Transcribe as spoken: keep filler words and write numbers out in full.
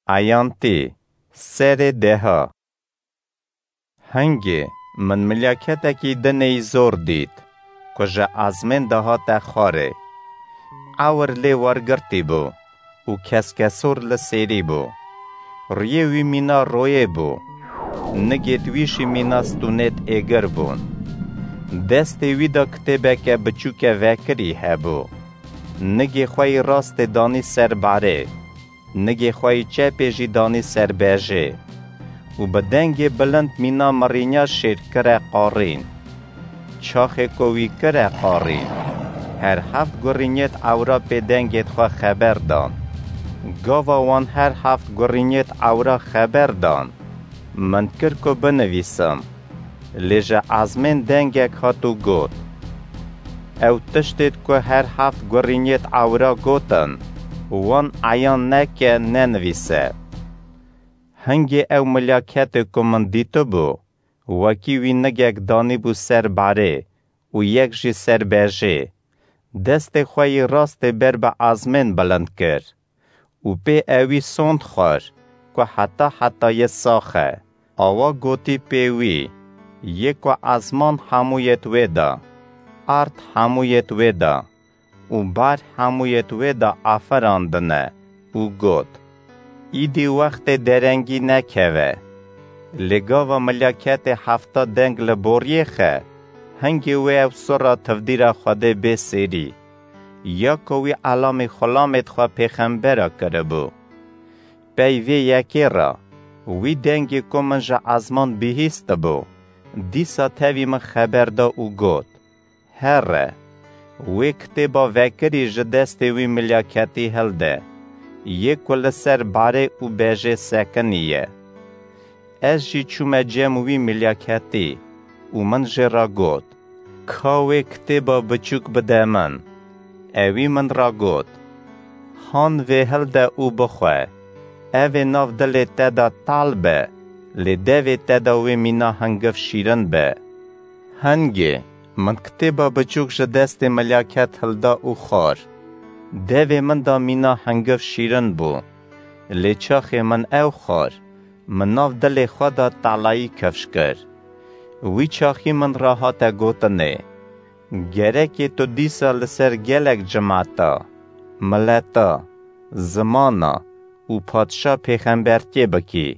Eyantî, serê deha. Hingê min milyaketekî dinê yî zor dît, ku ji ezmên dihate xwarê. Ewir lê wergirtî bû û keskesor li sêrî bû. Riyê wî mîna royê bû. Nigêt wî jî mîna stûnêt êgir bûn. Destê wî de kitêbeke biçûke vekirî hebû. Nigê xwe yî rastê danî ser barê. Nigê xwe yî çepê jî danî ser bejê û bi dengê bilind mîna mirînya şêr kire qarîn. Çaxê ku wî kire qarîn, her heft gurînêt ewra pê dengêt xwe xeber dan. Gava wan her heft gurînêt ewra xeber dan, min kir ku binivîsim. Lê ji ezmên dengek hat û got: Ew tiştêt ku her heft gurînêt ewra gotin, wan eyan neke nenivîse. Hingê ew milyaketê ku min dîtibû, wekî wî nigek danîbû ser barê û yek jî ser bejê. Destê xwe yî rastê ber bi ezmên bilind kir û pê ewî sond xwar ku heta heta yê sax e. Awa gotî pê wî: Yê ku ezman hemûyêt wê de, erd hemûyêt wê de û bar hemûyêt wê de aferandine û got: Îdî wextê derengî nekeve. Lê gava milyaketê hefta deng li boriyê xe, hingê wê ew sura tivdîra Xwedê bê sêrî. Ya ku wî elamî xulamêt xwe pêxembera kiribû. Pey vê yekê re, wî dengê ku min ji ezman bihîstibû, dîsa tevî min xeber da û got: Here, wê kitêba vekirî ji destê wî milyaketî hilde, yê ku li ser barê û bejê sekinî ye. Ez jî çûme cem wî milyaketî û min jê re got: Ka wê kitêba biçûk bide min. Ewî min re got: Han vê hilde û bixwe. Ev ê nav dilê te de tal be, lê devê te de wê mîna hingiv şîrin be. Hingê min kitêba biçûk ji destê milyaket hilda û xwar. Devê min de mîna hingiv şîrin bû, lê çaxê min ew xwar, min nav dilê xwe de talayî kifş kir. Wî çaxî min re hate gotinê: Gerekê tu dîsa li ser gelek cimata, mileta, zimana û padşa pêxembertiyê bikî.